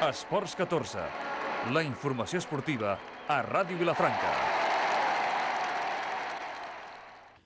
Esports 14, la informació esportiva a Ràdio Vilafranca.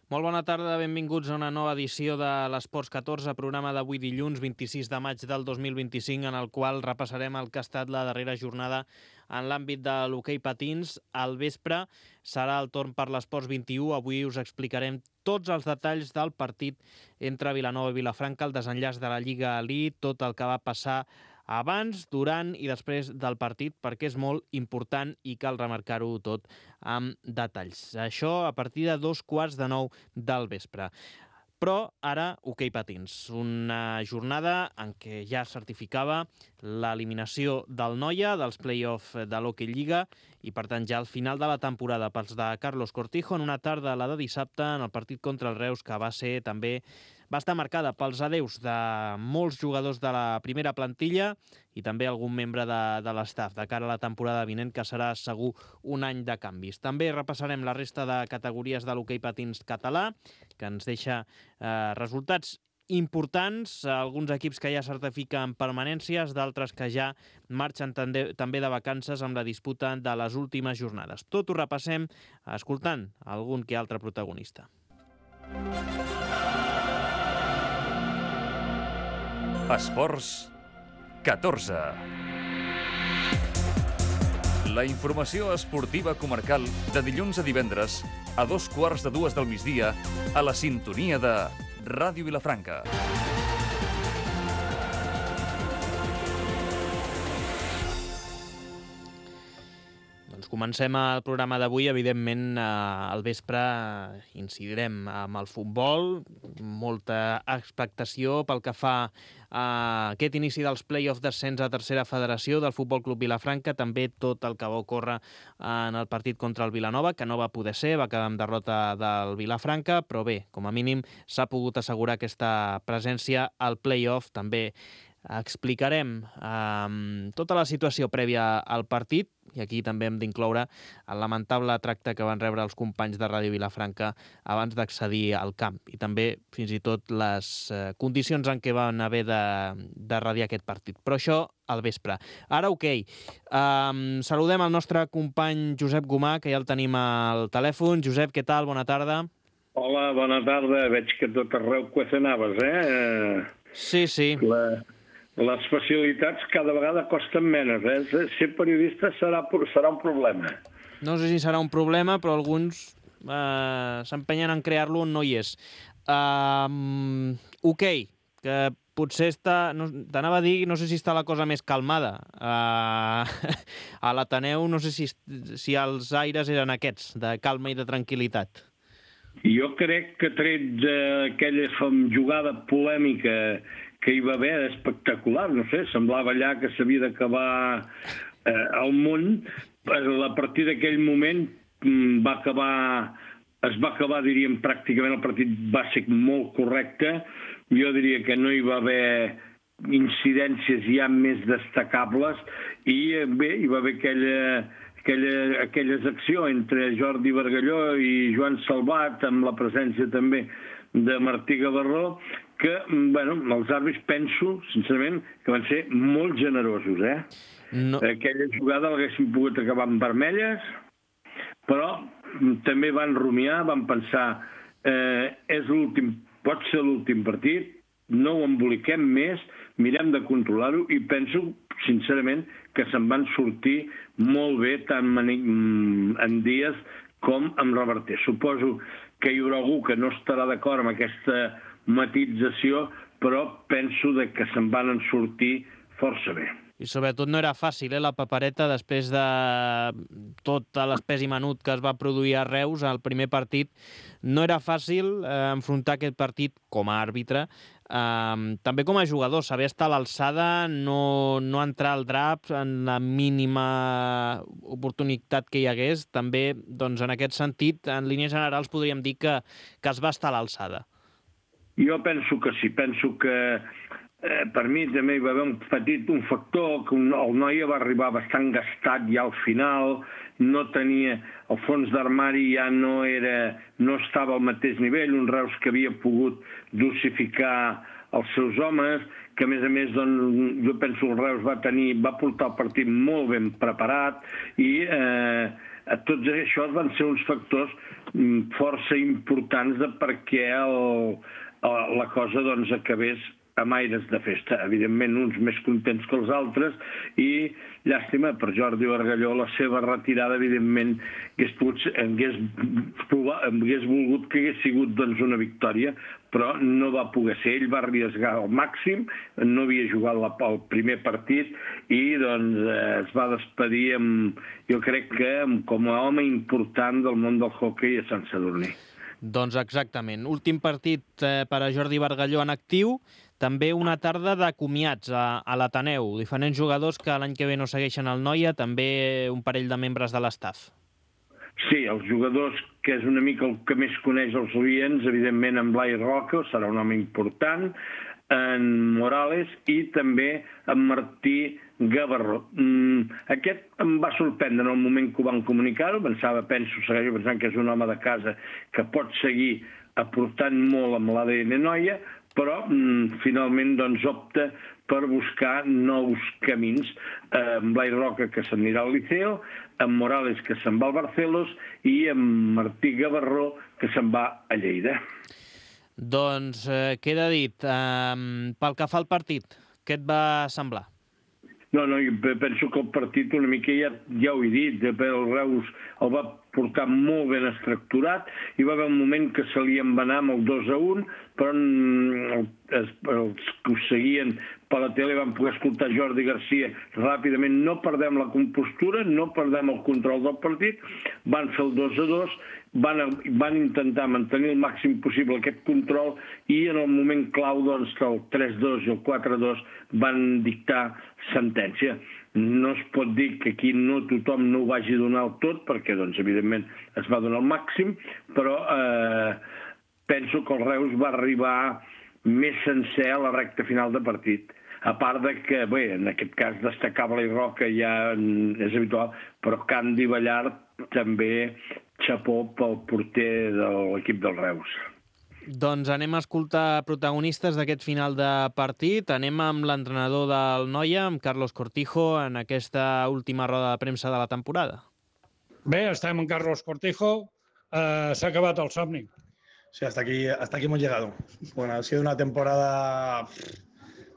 Molt bona tarda, benvinguts a una nova edició de l'Esports 14, programa d'avui dilluns 26 de maig del 2025, en el qual repassarem el que ha estat la darrera jornada en l'àmbit de l'hoquei patins. Al vespre serà el torn per l'Esports 21. Avui us explicarem tots els detalls del partit entre Vilanova i Vilafranca, el desenllaç de la Lliga Elite, tot el que va passar abans, durant i després del partit, perquè és molt important i cal remarcar-ho tot amb detalls. Això a partir de 8:45 del vespre. Però ara, hoquei patins. Una jornada en què ja certificava l'eliminació del Noia, dels play-off de l'Hockey Lliga, i per tant ja al final de la temporada pels de Carlos Cortijo, en una tarda, la de dissabte, en el partit contra el Reus, que va estar marcada pels adeus de molts jugadors de la primera plantilla i també algun membre de l'estaf de cara a la temporada vinent, que serà segur un any de canvis. També repassarem la resta de categories de l'hoquei patins català, que ens deixa resultats importants, alguns equips que ja certifiquen permanències, d'altres que ja marxen també de vacances amb la disputa de les últimes jornades. Tot ho repassem escoltant algun que altre protagonista. Esports 14. La informació esportiva comarcal de dilluns a divendres a 2:15 del migdia a la sintonia de Ràdio Vilafranca. Comencem el programa d'avui, evidentment al vespre incidirem amb el futbol, molta expectació pel que fa a aquest inici dels play-offs d'ascens a tercera federació del Futbol Club Vilafranca, també tot el que va ocórrer en el partit contra el Vilanova, que no va poder ser, va quedar amb derrota del Vilafranca, però bé, com a mínim s'ha pogut assegurar aquesta presència al play-off. També explicarem tota la situació prèvia al partit, i aquí també hem d'incloure el lamentable tracte que van rebre els companys de Ràdio Vilafranca abans d'accedir al camp, i també fins i tot les condicions en què van haver de radiar aquest partit. Però això al vespre. Ara, saludem el nostre company Josep Gomà, que ja el tenim al telèfon. Josep, què tal? Bona tarda. Hola, bona tarda. Veig que tot arreu cuecenaves, Sí. Les facilitats cada vegada costen menys, Ser periodista serà un problema. No sé si serà un problema, però alguns s'empenyen en crear-lo on no hi és. Que potser t'anava a dir, no sé si està la cosa més calmada. A l'Ateneu no sé si els aires eren aquests, de calma i de tranquil·litat. Jo crec que tret d'aquella jugada polèmica que hi va haver, espectacular, no sé, semblava allà que s'havia d'acabar el món. A partir d'aquell moment es va acabar, diríem, pràcticament el partit va ser molt correcte. Jo diria que no hi va haver incidències ja més destacables i bé, hi va haver aquelles accions entre Jordi Bargalló i Joan Salvat, amb la presència també de Martí Gavarró, que, els àrbitres penso, sincerament, que van ser molt generosos, No. Aquella jugada l'haguessin pogut acabar amb vermelles, però també van rumiar, van pensar, pot ser l'últim partit, no ho emboliquem més, mirem de controlar-ho, i penso, sincerament, que se'n van sortir molt bé tant en Díaz com en Reverter. Suposo que hi haurà algú que no estarà d'acord amb aquesta matització, però penso que se'n van sortir força bé. I sobretot no era fàcil, la papereta, després de tot l'espès i menut que es va produir a Reus al primer partit. No era fàcil enfrontar aquest partit com a àrbitre, també com a jugador, saber estar a l'alçada, no entrar al drap en la mínima oportunitat que hi hagués. També, doncs, en aquest sentit, en línies generals podríem dir que es va estar a l'alçada. Jo penso que sí, penso que per mi també hi va haver un factor que el Noia va arribar bastant gastat ja al final, no tenia, el fons d'armari ja no estava al mateix nivell, un Reus que havia pogut dosificar els seus homes, que a més, doncs, jo penso que el Reus va portar el partit molt ben preparat i tots això van ser uns factors força importants de perquè la cosa doncs, acabés amb aires de festa. Evidentment, uns més contents que els altres i, llàstima, per Jordi Bargalló, la seva retirada, evidentment, hagués volgut que hagués sigut doncs, una victòria, però no va poder ser. Ell va arriesgar al màxim, no havia jugat el primer partit i doncs, es va despedir, jo crec que com a home important del món del hoquei a Sant Sadurní. Doncs exactament. Últim partit per a Jordi Bargalló en actiu, també una tarda de comiats a l'Ateneu. Diferents jugadors que l'any que ve no segueixen el Noia, també un parell de membres de l'estaf. Sí, els jugadors, que és una mica el que més coneix els oients, evidentment en Blai Roca, serà un home important, en Morales i també en Martí Gavarró. Aquest em va sorprendre en el moment que ho van comunicar-ho, segueixo pensant que és un home de casa que pot seguir aportant molt amb l'ADN Noia, però finalment doncs, opta per buscar nous camins. En Blai Roca, que s'anirà al Liceo, en Morales, que se'n va al Barcelos, i en Martí Gavarró, que se'n va a Lleida. Doncs queda dit. Pel que fa al partit, què et va semblar? No, jo penso que el partit una mica ja ho he dit, el Reus el va portar molt ben estructurat, hi va haver un moment que se li en va anar amb el 2-1, però els que ho seguien per la tele van poder escoltar Jordi Garcia ràpidament, no perdem la compostura, no perdem el control del partit, van fer el 2-2, van intentar mantenir el màxim possible aquest control i en el moment clau doncs, que el 3-2 i el 4-2 van dictar sentència. No es pot dir que aquí no tothom no ho vagi donar el tot, perquè doncs, evidentment es va donar el màxim, però penso que el Reus va arribar més sencer a la recta final de partit. A part de que, bé, en aquest cas destacar Blai Roca ja és habitual, però Candy Ballart també xapó pel porter de l'equip del Reus. Doncs anem a escoltar protagonistes d'aquest final de partit. Anem amb l'entrenador del Noia, amb Carlos Cortijo, en aquesta última roda de premsa de la temporada. Bé, estem amb Carlos Cortijo. S'ha acabat el somni. Sí, hasta aquí hemos llegado. Bueno, ha sido una temporada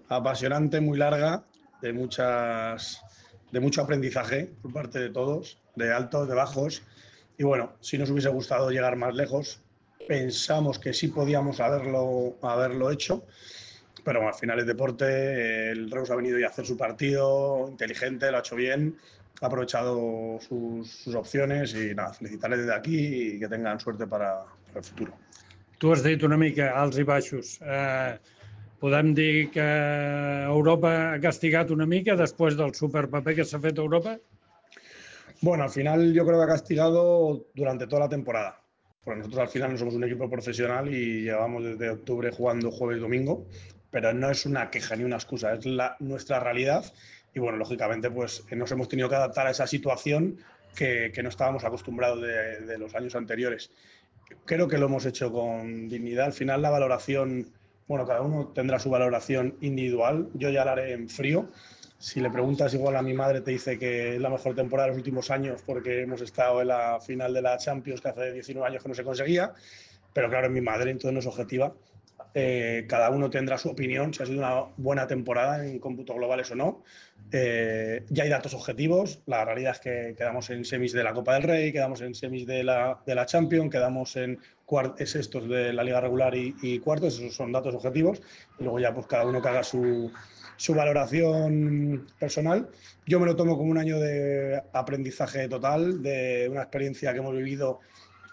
apasionante, muy larga, de mucho aprendizaje por parte de todos, de altos, de bajos. Y bueno, si nos hubiese gustado llegar más lejos, pensamos que sí podíamos haberlo hecho, pero bueno, al final es deporte, el Reus ha venido a hacer su partido, inteligente, lo ha hecho bien, ha aprovechado sus opciones y nada, felicitarles desde aquí y que tengan suerte para el futuro. Tu has dit una mica alts i baixos. Podem dir que Europa ha castigat una mica después del superpaper que s'ha fet a Europa? Bueno, al final yo creo que ha castigado durante toda la temporada. Porque nosotros al final no somos un equipo profesional y llevamos desde octubre jugando jueves y domingo, pero no es una queja ni una excusa, es nuestra realidad y bueno, lógicamente pues nos hemos tenido que adaptar a esa situación que no estábamos acostumbrados de los años anteriores. Creo que lo hemos hecho con dignidad. Al final la valoración, bueno, cada uno tendrá su valoración individual. Yo ya la haré en frío. Si le preguntas igual a mi madre te dice que es la mejor temporada de los últimos años porque hemos estado en la final de la Champions que hace 19 años que no se conseguía. Pero claro, es mi madre, entonces no es objetiva. Cada uno tendrá su opinión, si ha sido una buena temporada en cómputos globales o no. Ya hay datos objetivos, la realidad es que quedamos en semis de la Copa del Rey, quedamos en semis de la Champions, quedamos en sextos de la Liga Regular y cuartos, esos son datos objetivos. Y luego ya pues cada uno que haga su valoración personal. Yo me lo tomo como un año de aprendizaje total, de una experiencia que hemos vivido.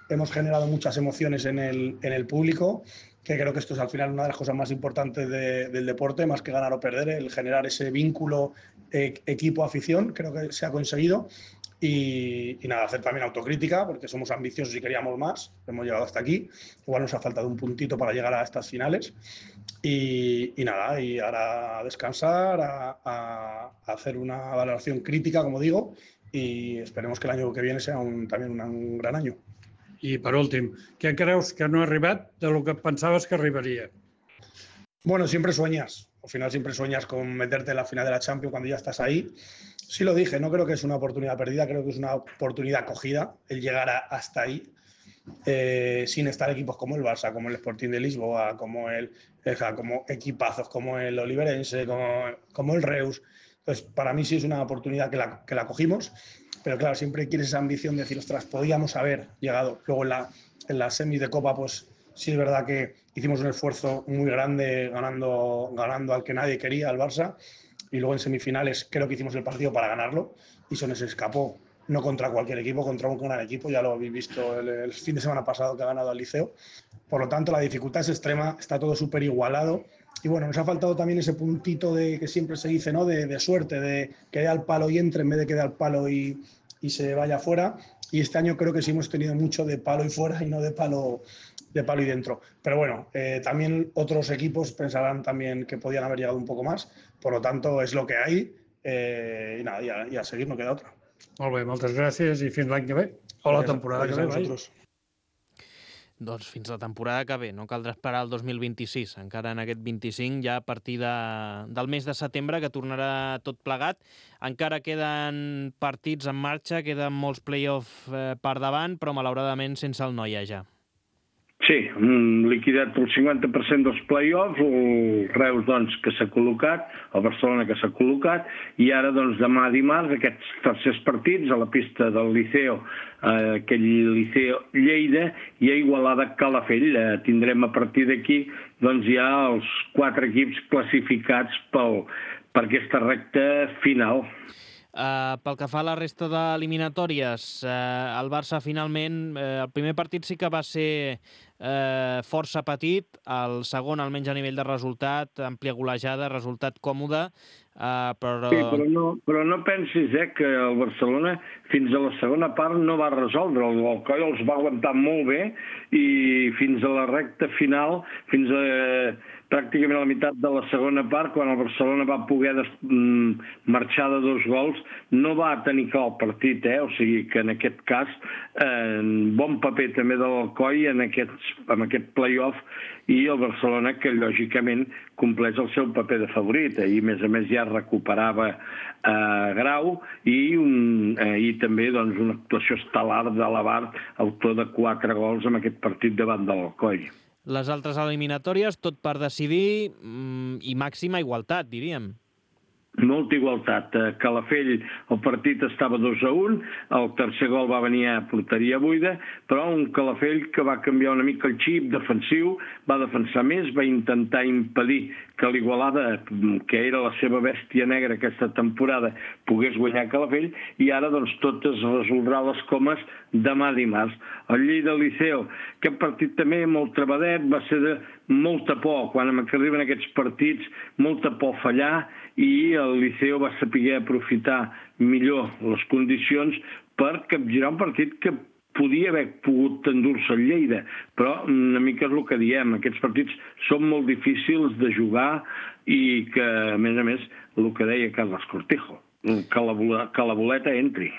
Hemos generado muchas emociones en el público, que creo que esto es al final una de las cosas más importantes del deporte, más que ganar o perder, el generar ese vínculo equipo-afición, creo que se ha conseguido. Y nada, hacer también autocrítica, porque somos ambiciosos y queríamos más, hemos llegado hasta aquí, igual nos ha faltado un puntito para llegar a estas finales. Y nada, y ahora a descansar, a hacer una valoración crítica, como digo, y esperemos que el año que viene sea también un gran año. I per últim, què creus que no ha arribat de lo que pensaves que arribaria? Bueno, siempre sueñas. Al final siempre sueñas con meterte en la final de la Champions cuando ya estás ahí. Sí lo dije, no creo que es una oportunidad perdida, creo que es una oportunidad cogida el llegar hasta ahí. Sin estar equipos como el Barça, como el Sporting de Lisboa, como equipazos como el Oliveirense, como el Reus. Entonces, para mí sí es una oportunidad que la cogimos, pero claro, siempre quieres esa ambición de decir, ostras, podíamos haber llegado. Luego en la semis de Copa, pues sí es verdad que hicimos un esfuerzo muy grande ganando al que nadie quería, al Barça, y luego en semifinales creo que hicimos el partido para ganarlo y se nos escapó. No contra cualquier equipo, contra un gran equipo, ya lo habéis visto el fin de semana pasado que ha ganado al Liceo. Por lo tanto, la dificultad es extrema, está todo súper igualado. Y bueno, nos ha faltado también ese puntito que siempre se dice, ¿no? De suerte, de que dé al palo y entre en vez de que dé al palo y se vaya fuera. Y este año creo que sí hemos tenido mucho de palo y fuera y no de palo y dentro. Pero bueno, también otros equipos pensarán también que podían haber llegado un poco más. Por lo tanto, es lo que hay. Y nada, y a seguir no queda otra. Molt bé, moltes gràcies i fins l'any que ve. O la temporada que ve. Vosaltres. Doncs fins la temporada que ve, no caldrà esperar el 2026, encara en aquest 25, ja a partir del mes de setembre, que tornarà tot plegat. Encara queden partits en marxa, queden molts play-off per davant, però malauradament sense el Noia ja. Sí, liquidat el 50% dels play-offs, el Reus doncs, que s'ha col·locat, el Barcelona que s'ha col·locat, i ara doncs, demà dimarts aquests tercers partits a la pista del Liceo, aquell Liceo Lleida i a Igualada Calafell. Tindrem a partir d'aquí doncs, ja els 4 equips classificats per aquesta recta final. Pel que fa a la resta d'eliminatòries, el Barça finalment, el primer partit sí que va ser força petit, el segon, almenys a nivell de resultat, àmplia golejada, resultat còmode, però... Sí, però no pensis que el Barcelona fins a la segona part no va resoldre. El Coll els va aguantar molt bé i fins a la recta final, fins a pràcticament a la meitat de la segona part, quan el Barcelona va poder marxar de 2 gols, no va tenir clar el partit, o sigui que en aquest cas bon paper també de l'Alcoi en aquest play-off, i el Barcelona que lògicament compleix el seu paper de favorit, i a més ja recuperava Grau i també doncs, una actuació estel·lar de l'Abart, autor de 4 gols en aquest partit davant de l'Alcoi. Les altres eliminatòries, tot per decidir i màxima igualtat, diríem. Molta igualtat. A Calafell el partit estava 2-1, el tercer gol va venir a porteria buida, però un Calafell que va canviar una mica el xip defensiu, va defensar més, va intentar impedir que l'Igualada, que era la seva bèstia negra aquesta temporada, pogués guanyar Calafell, i ara doncs tot es resoldrà les comes demà dimarts. El Lleida-Liceo, aquest partit també molt trebadet, va ser de molta por, quan arriben aquests partits, molta por fallar, i el Liceo va saber aprofitar millor les condicions per capgirar un partit que podia haver pogut endur-se el Lleida, però una mica és el que diem, aquests partits són molt difícils de jugar i que, a més, el que deia Carles Cortijo, que la boleta entri.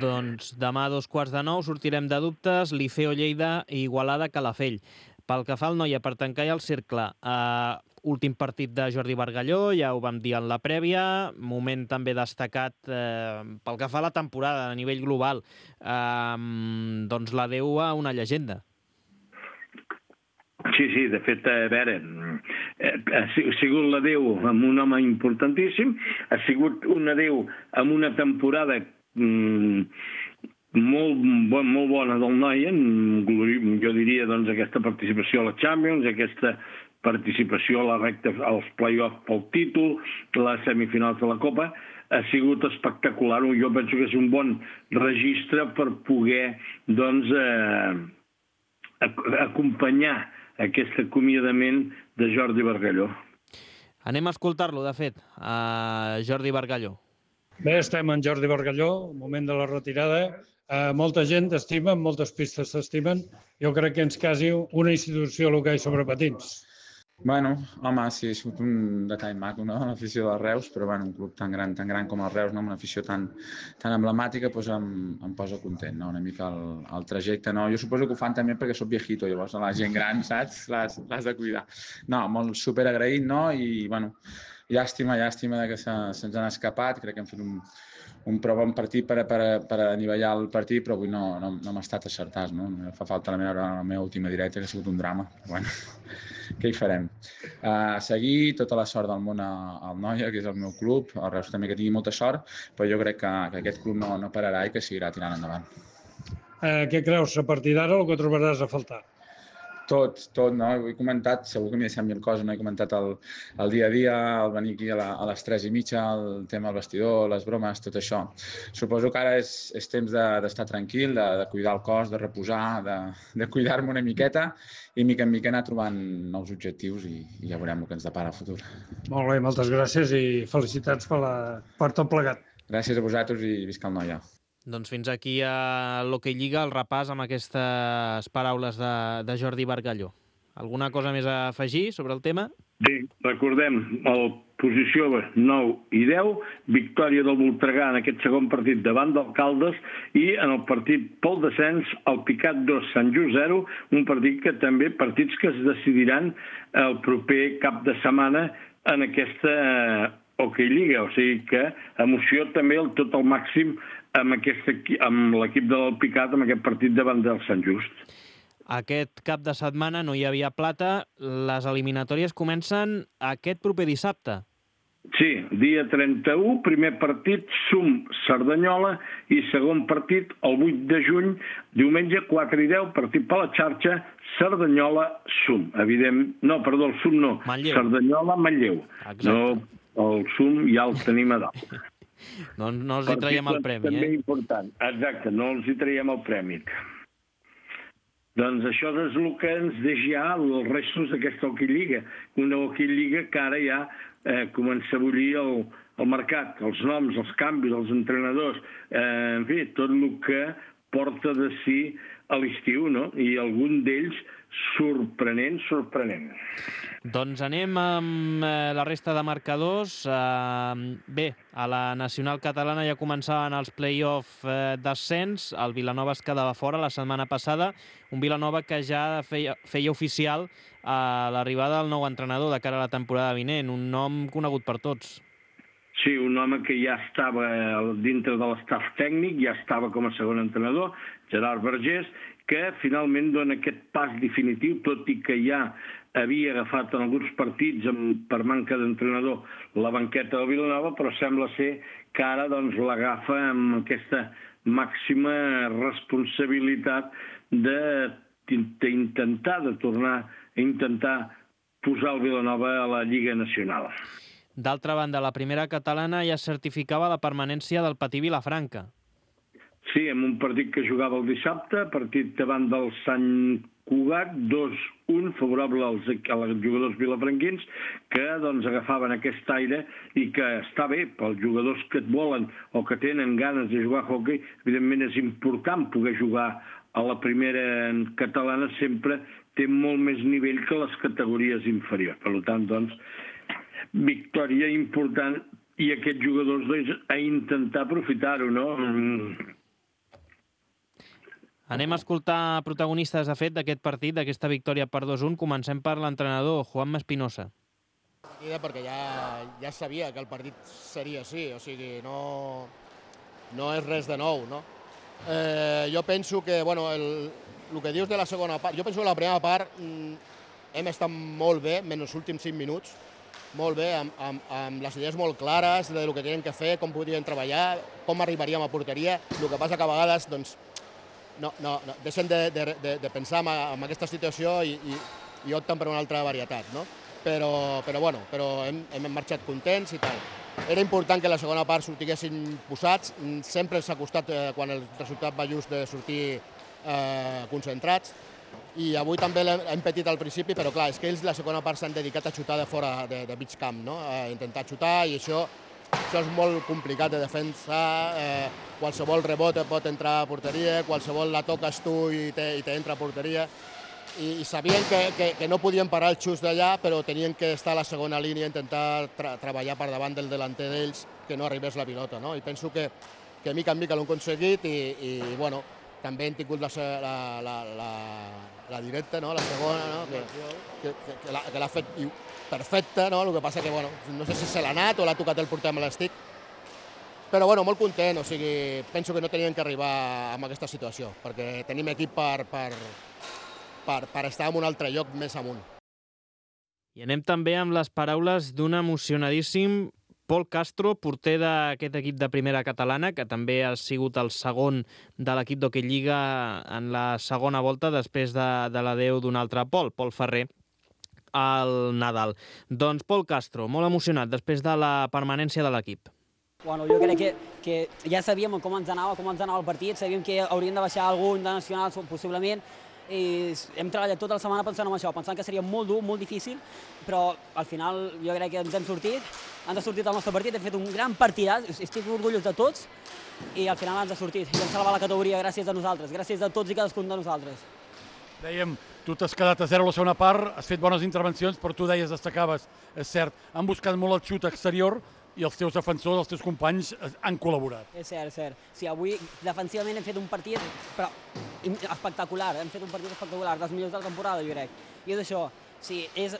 Doncs demà a 8:45 sortirem de dubtes, Liceo Lleida i Igualada Calafell. Pel que fa al Noia, per tancar ja el cercle, últim partit de Jordi Bargalló, ja ho vam dir en la prèvia, moment també destacat pel que fa a la temporada a nivell global, doncs l'adeu a una llegenda. Sí, de fet, a veure, ha sigut l'adeu amb un home importantíssim, ha sigut un adeu amb una temporada molt bona del Noia, jo diria doncs aquesta participació a la Champions, aquesta participació a la recta, als play-offs pel títol, les semifinals de la Copa, ha sigut espectacular. Jo penso que és un bon registre per poder doncs acompanyar aquest acomiadament de Jordi Bargalló. Anem a escoltar-lo, de fet, a Jordi Bargalló. Bé, estem en Jordi Bargalló, moment de la retirada. Molta gent t'estima, moltes pistes t'estimen. Jo crec que ens quasi una institució l'hoquei sobre patins. Bueno, home, sí, ha sigut un detall maco, no?, l'afició del Reus, però bueno, un club tan gran com el Reus, no?, amb una afició tan emblemàtica, doncs em posa content, no?, una mica el trajecte, no? Jo suposo que ho fan també perquè soc viejito, llavors la gent gran, saps?, l'has de cuidar. No, molt super agraït, no?, i bueno, llàstima de que se'ns han escapat, crec que hem fet un prou bon partit per anivellar el partit, però avui no hem estat acertats, no? Fa falta la meva última directa, que ha sigut un drama, però bueno, què hi farem? Seguir, tota la sort del món al Noia, que és el meu club, el Reus també que tingui molta sort, però jo crec que aquest club no pararà i que seguirà tirant endavant. Què creus, a partir d'ara, el que trobaràs a faltar? Tot, no? Ho he comentat, segur que m'he deixat mil coses, no he comentat el dia a dia, el venir aquí a les 3:30, el tema del vestidor, les bromes, tot això. Suposo que ara és temps d'estar tranquil, de cuidar el cos, de reposar, de cuidar-me una miqueta i mica en mica anar trobant nous objectius i ja veurem el que ens depara el futur. Molt bé, moltes gràcies i felicitats per tot plegat. Gràcies a vosaltres i visca el Noia. Doncs fins aquí a l'Hockey Lliga, el repàs amb aquestes paraules de Jordi Bargalló. Alguna cosa més a afegir sobre el tema? Sí, recordem, el posició 9 i 10, victòria del Voltregà en aquest segon partit davant del Caldes i en el partit pel descens, el Picat 2, Sant Just 0, un partit que també, partits que es decidiran el proper cap de setmana en aquesta Hockey Lliga, o sigui que emoció també tot el màxim amb l'equip del Picat, amb aquest partit davant del Sant Just. Aquest cap de setmana no hi havia plata. Les eliminatòries comencen aquest proper dissabte. Sí, dia 31, primer partit, Cerdanyola, i segon partit, el 8 de juny, diumenge 4 i 10, partit per la xarxa, Cerdanyola, Cerdanyola, Manlleu. Exacte. No, el ja el tenim a dalt. No els hi traiem el premi, també important. Exacte, no els hi traiem el premi. Doncs això és el que ens deixa ja els restos d'aquesta Hockey Lliga. Una Hockey Lliga que ara ja comença a bullir el mercat, els noms, els canvis, els entrenadors, en fi, tot el que porta de si a l'estiu, no? I algun d'ells sorprenent. Doncs anem amb la resta de marcadors. Bé, a la Nacional Catalana ja començaven els play-off d'ascens. El Vilanova es quedava fora la setmana passada. Un Vilanova que ja feia oficial l'arribada del nou entrenador de cara a la temporada vinent. Un nom conegut per tots. Sí, un home que ja estava dintre de l'estaf tècnic, ja estava com a segon entrenador, Gerard Vergés, que finalment dona aquest pas definitiu, tot i que ja havia agafat en alguns partits per manca d'entrenador la banqueta del Vilanova, però sembla ser que ara l'agafa amb aquesta màxima responsabilitat d'intentar tornar a intentar posar el Vilanova a la Lliga Nacional. D'altra banda, la primera catalana ja certificava la permanència del Patí Vilafranca. Sí, en un partit que jugava el dissabte, partit davant del Sant Cugat, 2-1, favorable als jugadors vilafranquins, que agafaven aquest aire i que està bé pels jugadors que et volen o que tenen ganes de jugar a hoquei. Evidentment és important poder jugar a la primera catalana, sempre té molt més nivell que les categories inferiors. Per tant, victòria important i aquests jugadors a intentar aprofitar-ho, no? Anem a escoltar protagonistes, de fet, d'aquest partit, d'aquesta victòria per 2-1. Comencem per l'entrenador, Juanma Espinosa. Perquè ja sabia que el partit seria així, o sigui, no és res de nou, no? Jo penso que, el que dius de la segona part, jo penso que la primera part hem estat molt bé, menys els últims 5 minuts, molt bé, amb les idees molt clares del que teníem que fer, com podríem treballar, com arribaríem a porteria. El que passa que a vegades, no, deixen de pensar en aquesta situació i opten per una altra varietat, no? Però hem marxat contents i tal. Era important que la segona part sortiguessin posats, sempre ens ha costat quan el resultat va just de sortir concentrats, i avui també l'hem petit al principi, però clar, és que ells la segona part s'han dedicat a xutar de fora de mig camp, no? A intentar xutar, i això és molt complicat de defensar. Qualsevol rebot pot entrar a porteria, qualsevol la toques tu i t'entra a porteria. i sabien que no podien parar el xus d'allà, però tenien que estar a la segona línia, intentar treballar per davant del delanter d'ells, que no arribés la pilota, no? I penso que mica en mica l'han aconseguit i bueno, també hem tingut la directa, no? La segona, no? Que l'ha fet perfecta, no? El que passa que, bueno, no sé si se l'ha anat o l'ha tocat el porter amb l'estic, però bueno, molt content, o sigui, penso que no tenien que arribar a aquesta situació, perquè tenim equip per estar en un altre lloc més amunt. I anem també amb les paraules d'un emocionadíssim Pol Castro, porter d'aquest equip de primera catalana, que també ha sigut el segon de l'equip d'Hockey Lliga en la segona volta, després de l'adeu d'un altre Pol Ferrer, al Nadal. Doncs Pol Castro, molt emocionat després de la permanència de l'equip. Bueno, jo crec que ja sabíem com ens anava el partit, sabíem que hauríem de baixar algun de nacional, possiblement, i hem treballat tota la setmana pensant en això, pensant que seria molt dur, molt difícil, però al final jo crec que ens ha sortit el nostre partit, hem fet un gran partidàs, estic orgullós de tots, i al final ens ha sortit, i hem salvat la categoria gràcies a nosaltres, gràcies a tots i cadascun de nosaltres. Dèiem, tu t'has quedat a 0 a la segona part, has fet bones intervencions, però tu deies, destacaves, és cert, han buscat molt el xut exterior, i els teus defensors, els teus companys han col·laborat. És cert, és cert. Sí, avui defensivament hem fet un partit espectacular, dels millors de la temporada, jo crec. I és això, sí, és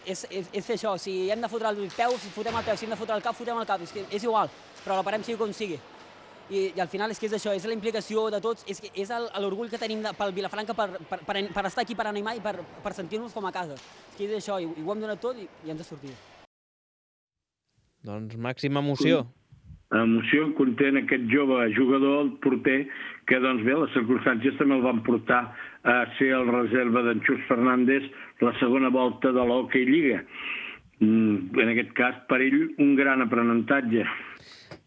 fer això, si hem de fotre el peu, si fotem el peu, si hem de fotre el cap, fotem el cap, és igual, però la parem sigui com sigui. I al final és que és això, és la implicació de tots, és l'orgull que tenim pel Vilafranca per estar aquí, per animar i per sentir-nos com a casa. És que és això, i ho hem donat tot i ens ha sortit. Doncs màxima emoció. Emoció, content aquest jove jugador, el porter, que doncs bé, les circumstàncies també el van portar a ser el reserva d'en Xus Fernández la segona volta de l'Hockey Lliga. En aquest cas, per ell, un gran aprenentatge.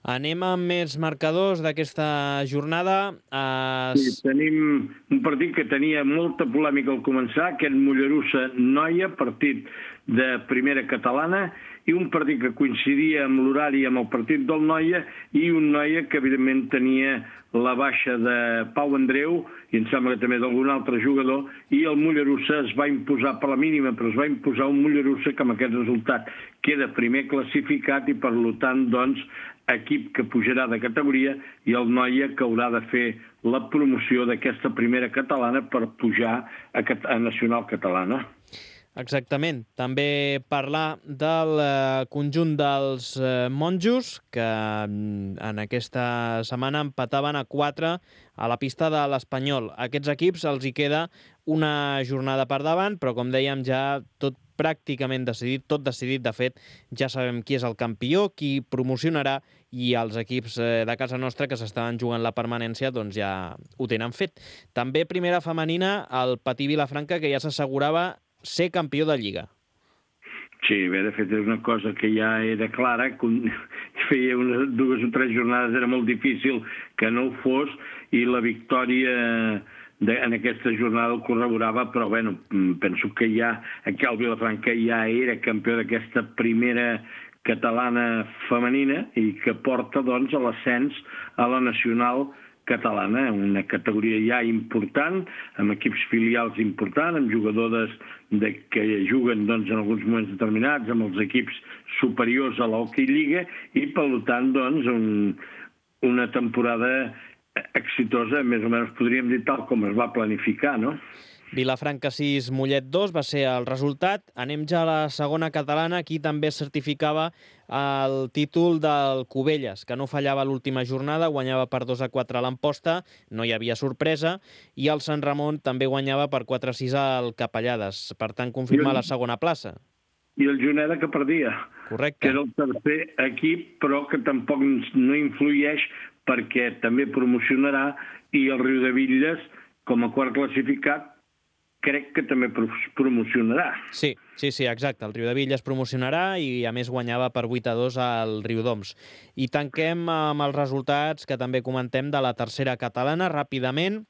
Anem amb més marcadors d'aquesta jornada. Sí, tenim un partit que tenia molta polèmica al començar, aquest Mollerussa-Noia, partit de primera catalana, i un partit que coincidia amb l'horari amb el partit del Noia, i un Noia que evidentment tenia la baixa de Pau Andreu, i em sembla que també d'algun altre jugador, i el Mollerussa es va imposar per la mínima, però es va imposar un Mollerussa que amb aquest resultat queda primer classificat i per tant, doncs, equip que pujarà de categoria, i el Noia que haurà de fer la promoció d'aquesta primera catalana per pujar a nacional catalana. Exactament. També parlar del conjunt dels monjos, que en aquesta setmana empataven a 4 a la pista de l'Espanyol. A aquests equips els hi queda una jornada per davant, però com dèiem ja tot pràcticament decidit, tot decidit. De fet, ja sabem qui és el campió, qui promocionarà, i els equips de casa nostra que s'estaven jugant la permanència doncs ja ho tenen fet. També primera femenina, el Patí Vilafranca, que ja s'assegurava ser campió de Lliga. Sí, bé, de fet és una cosa que ja era clara, feia unes 2 o 3 jornades, era molt difícil que no ho fos, i la victòria en aquesta jornada el corroborava, però bueno, penso que ja aquí el Vilafranca ja era campió d'aquesta primera catalana femenina i que porta doncs a l'ascens a la nacional catalana, una categoria ja important, amb equips filials importants, amb jugadores que juguen doncs, en alguns moments determinats, amb els equips superiors a l'Hockey Lliga, i per tant doncs, una temporada exitosa, més o menys podríem dir tal com es va planificar, no? Vilafranca 6, Mollet 2 va ser el resultat. Anem ja a la segona catalana. Aquí també es certificava el títol del Cubelles, que no fallava l'última jornada, guanyava per 2-4 a l'Amposta, no hi havia sorpresa, i el Sant Ramon també guanyava per 4-6 al Capellades. Per tant, confirma la segona plaça. I el Juneda que perdia. Correcte. Que era el tercer equip, però que tampoc no influeix perquè també promocionarà, i el Riudebitlles, com a quart classificat, crec que també promocionarà. Sí, exacte. El Riudebitlles promocionarà i, a més, guanyava per 8-2 al Riudoms. I tanquem amb els resultats que també comentem de la tercera catalana, ràpidament.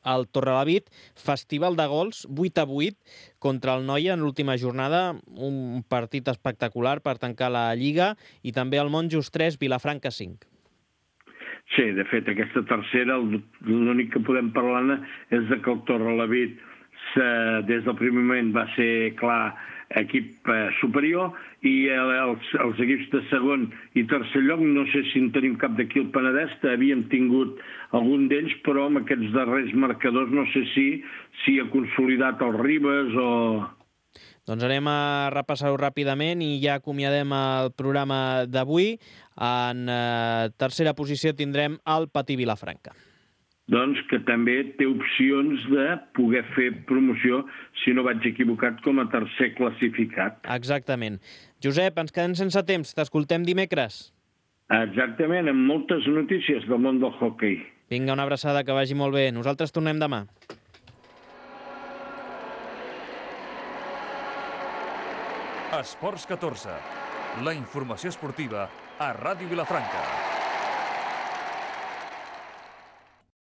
El Torrelavit, festival de gols, 8-8 contra el Noia en l'última jornada, un partit espectacular per tancar la Lliga, i també el Monjos 3, Vilafranca 5. Sí, de fet, aquesta tercera, l'únic que podem parlar és que el Torrelavit des del primer moment va ser clar equip superior, i els equips de segon i tercer lloc, no sé si en tenim cap d'aquí al Penedès, havíem tingut algun d'ells, però amb aquests darrers marcadors no sé si ha consolidat el Ribes o... Doncs anem a repassar-ho ràpidament i ja acomiadem el programa d'avui. En tercera posició tindrem el Patí Vilafranca. Doncs que també té opcions de poder fer promoció, si no vaig equivocat, com a tercer classificat. Exactament. Josep, ens quedem sense temps. T'escoltem dimecres. Exactament, amb moltes notícies del món del hoquei. Vinga, una abraçada, que vagi molt bé. Nosaltres tornem demà. Esports 14. La informació esportiva a Ràdio Vilafranca.